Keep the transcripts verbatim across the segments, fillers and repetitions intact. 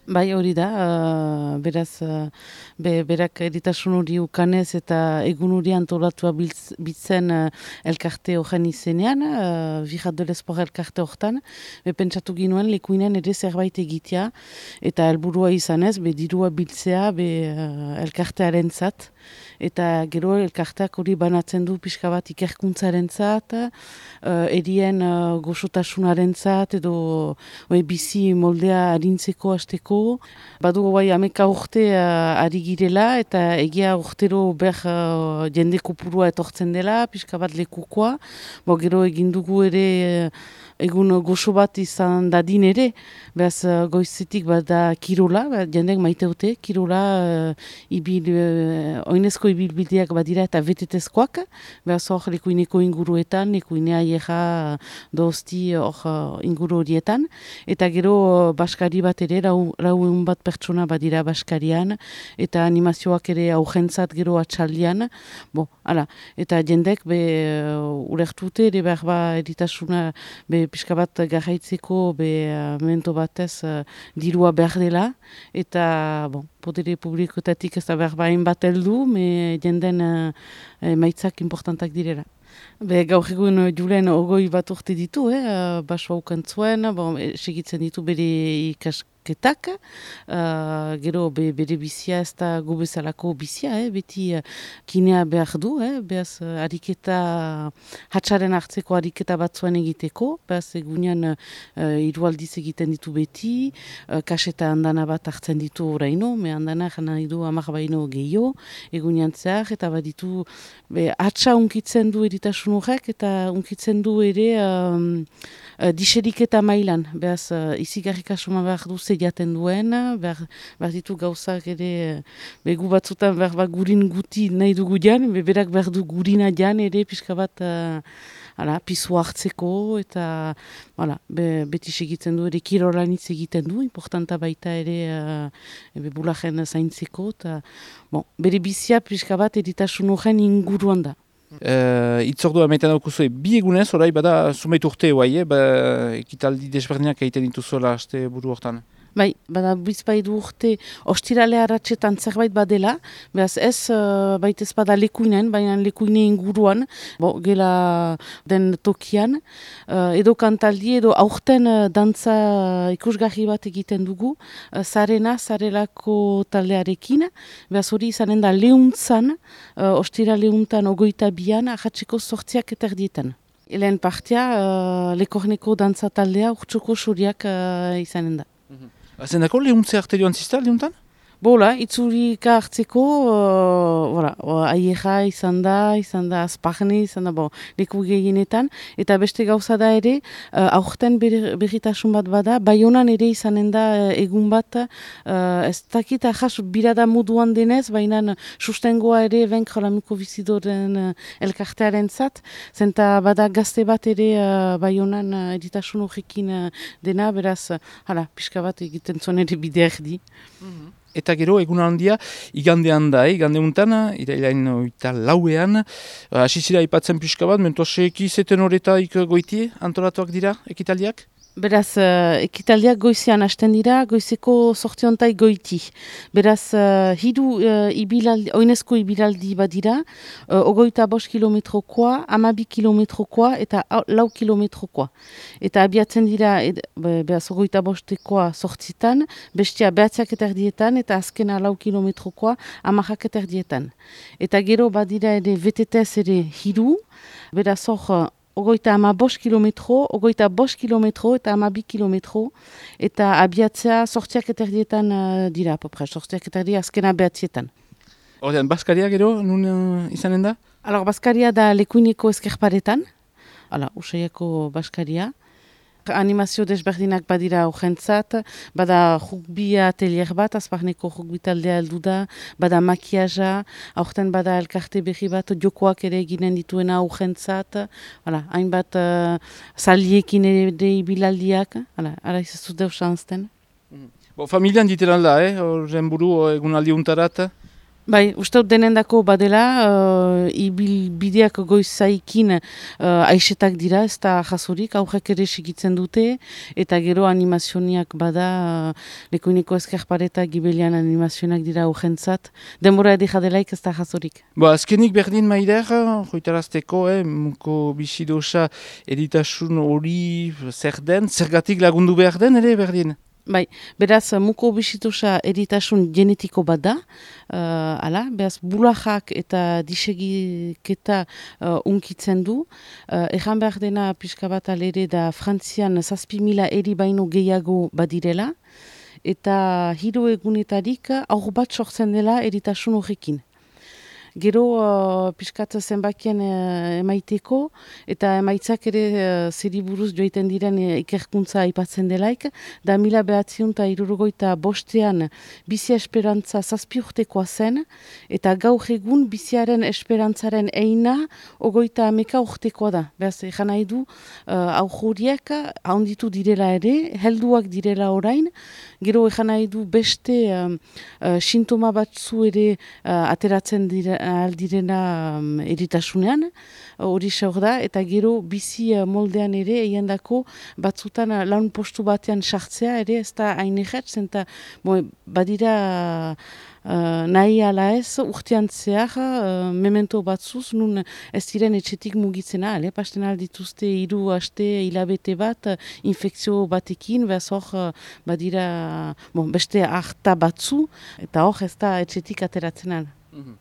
Bai, hori da, uh, beraz, uh, be, berak eritasun hori ukanez eta egun hori antolatua biltz, bitzen uh, elkarte horren izenean, uh, Virat de l'Esport elkarte horretan, be pentsatu ginuen lekuinen ere zerbait egitea, eta helburua izanez, be dirua biltzea, be uh, elkartearen zat, eta gero elkarteak hori banatzen du pixka bat ikerkuntzaren zat, uh, erien uh, gozotasunaren zat, edo oe, bizi moldea harintzeko hasteko. Badu bai ameka urte uh, ari girela eta egia urtero ber uh, jende kopurua etortzen dela, pixka bat lekukoa. Bo, gero egin dugu ere uh, egun gozo bat izan dadin ere, behaz uh, goizetik bat da kirola, bah, jendek maiteute, kirola uh, ibil, uh, oinezko ibilbideak badira eta betetezkoak, behaz hor lekuineko inguruetan, lekuinea ieja dozti hor uh, inguru horietan, eta gero uh, baskari bat ere, rau, rau egun bat pertsona badira baskarian, eta animazioak ere augentzat gero atxaldian, bo, ala, eta jendek be uh, ulertute ere behar ba eritasuna be pixka bat garraitzeko be uh, memento batez uh, dirua behar dela, eta bon, podere publikoetatik ez da behar bain bat heldu, me jenden uh, emaitzak importantak direla. Be, gaur egun Julen ogoi bat urte ditu, eh? Baso haukantzuen, bon, segitzen ditu bere ikasketak, uh, gero be, bere bizia ez da gubezalako bizia, eh? Beti uh, kinea behar du, eh? Behaz uh, ariketa, hatxaren hartzeko ariketa batzuen egiteko, behaz egunean uh, hiru aldiz egiten ditu beti, uh, kaseta handana bat hartzen ditu oraino, me handana jana du amak baino gehiago, egunean zehar, eta baditu be, hatxa unkitzen du eritasun horrek, eta unkitzen du ere um, uh, diseriketa mailan. Behaz, uh, izigarrikasuma behar du zeiaten duen, behar, behar ditu gauzak ere, uh, begu batzutan behar bat gurin guti nahi dugu jan, be, berak behar du gurina jan ere, pixka bat uh, ala, pisu hartzeko, eta ala, be, beti segitzen du ere kirolanitz egiten du, importanta baita ere uh, bulajen zaintzeko, eta bon, bere bizia pixka bat eritasun horren inguruan da. Uh, itzordua meiten daukuzue bi egunez, orai bada zumeit urte guai, eh? Ba, ekitaldi desberdinak egiten dituzuela aste buru hortan. Bai, bada bizpaidu urte ostirale arratsetan zerbait badela, behaz ez uh, baitez bada lekuinen, baina lekuine inguruan, bo, gela den tokian, uh, edo kantaldi, edo aurten uh, dantza ikusgarri bat egiten dugu, uh, zarena, zarelako taldearekin, behaz hori izanen da lehuntzan, uh, ostira lehuntan ogoita bian, ahatzeko sortziak eta erdietan. Helen partia, uh, lekorneko dantza taldea urtsoko suriak uh, izanen da. Zendako lehuntze arte joan zizta, lehuntan? Bola, itzurika hartzeko, uh, voilà, aieja izan da, izan da azpagni, izan da, bo, leku gehienetan, eta beste gauza da ere, uh, aurten berritasun bat bada, Baionan ere izanen da uh, egun bat, uh, ez dakit ahas birada moduan denez, baina sustengoa ere venk jolamiko bizidoren uh, elkartearen zat, zenta bada gazte bat ere uh, Baionan uh, eritasun horrekin uh, dena, beraz, uh, hala, pixka bat egiten zuen ere bide erdi. Mm-hmm. Eta gero, egun handia, igandean da, igande untan, irailain oita lauean, asizira ipatzen pixka bat, mentoseeki zeten horretaik goiti antolatuak dira, ekitaldiak? Beraz, uh, ekitaldiak goizean hasten dira, goizeko sortiontai goiti. Beraz, uh, hidu uh, ibilaldi, oinezko ibilaldi badira, uh, ogoita bost kilometrokoa, amabi kilometrokoa eta lau kilometrokoa. Eta abiatzen dira, ed, be, beraz, ogoita bostekoa sortzitan, bestia behatziak eta erdietan, eta azkena lau kilometrokoa, amajak eta erdietan. Eta gero badira ere betetez ere hidu, beraz, hor, ogoita ama bost kilometro, ogoita bost kilometro eta ama bi kilometro, eta abiatzea sortziak eta erdietan uh, dira, popre, sortziak eta erdietan azkena behatzietan. Horten, Baskaria gero, nun uh, izanen da? Alor, Baskaria da lekuineko ezkerparetan, ala, usaiako Baskaria. Animazio desberdinak badira horrentzat, bada rugbia atelier bat, azparneko rugbi taldea heldu da, bada makiaja, aurten bada elkarte berri bat, jokoak ere eginen dituena horrentzat, hainbat uh, saliekin ere ibilaldiak, ara izazu deus anzten. Bo, familian diteran da, eh? Horren buru egun aldi untarat? Bai, uste dut denendako badela, uh, ibil bideak goizaikin uh, aixetak dira, ez da jasorik, aurrek ere segitzen dute, eta gero animazioniak bada, uh, Lekuineko Ezkerpareta gibelian animazionak dira urgentzat, denbora edika delaik ez da jasorik. Ba, azkenik berdin maider, joitarazteko, eh, muko bisidosa eritasun hori zer den, zergatik lagundu behar den ere berdin? Bai, beraz, muko bisitosa eritasun genetiko bat da, uh, ala, beraz, bulajak eta disegiketa uh, unkitzen du. Uh, Ejan behar dena pixka bat alere da Frantzian zazpi mila eri baino gehiago badirela, eta hiru egunetarik aur bat sortzen dela eritasun horrekin. Gero uh, pixkat zenbakien uh, emaiteko, eta emaitzak ere uh, zeri buruz joiten diren uh, ikerkuntza aipatzen delaik, da mila behatziun eta irurogoita bostean bizia esperantza zazpi urtekoa zen, eta gaur egun biziaren esperantzaren eina ogoita ameka urtekoa da. Beraz, egan nahi du, uh, aurruriak handitu direla ere, helduak direla orain, gero egan nahi du beste um, uh, sintoma batzu ere uh, ateratzen dira, aldirena um, eritasunean, hori uh, da, eta gero bizi uh, moldean ere, egin dako batzutan uh, laun postu batean sartzea ere, ez da hain egertzen, eta badira uh, nahi ala ez, urtean zehar, uh, memento batzuz, nun ez diren etxetik mugitzena, ale, pasten aldituzte hiru aste hilabete bat, uh, infekzio batekin, behaz hor, uh, badira bon, beste harta batzu, eta hor ez da etxetik ateratzen ala. Mm-hmm.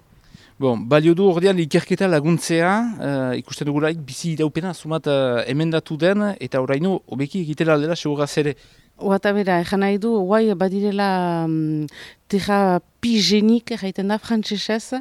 Bon, balio du ordean ikerketa laguntzea, uh, ikusten dugulaik bizi iraupena sumat uh, emendatu den, eta oraino obeki egitela aldela seguraz ere. Oata bera, ejan nahi du, guai badirela um, terapigenik, jaiten da, frantzesez, uh,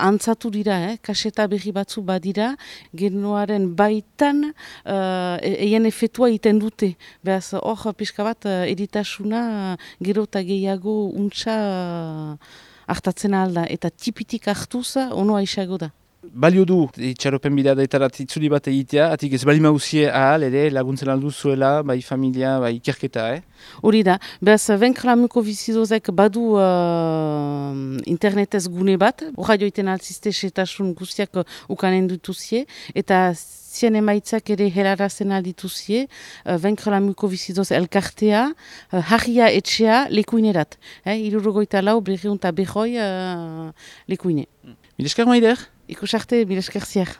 antzatu dira, eh? Kaseta berri batzu badira, genoaren baitan uh, eien efetua iten dute. Beraz, hor, pixka bat, uh, eritasuna uh, gero eta gehiago untxa uh, hartatzen alda, eta tipitik hartuz, ono aixago da. Balio du, itxaropen bidadaetarat itzuli bat egitea, atik ez bali mauzie ahal, ere laguntzen aldu zuela, bai familia, bai ikerketa, eh? Hori da, behaz, Vaincre mukobiszidozek badu uh, internetez gune bat, horra joiten altzizte setasun guztiak ukanen dutuzie, eta zien emaitzak ere helarazen aldituzie, uh, Vaincre mukobizidoz elkartea, uh, harria etxea lekuinerat. Eh, Irurogoita lau, berriunta behoi uh, lekuine. Mileskar maider? Ikusarte, mileskar ziar.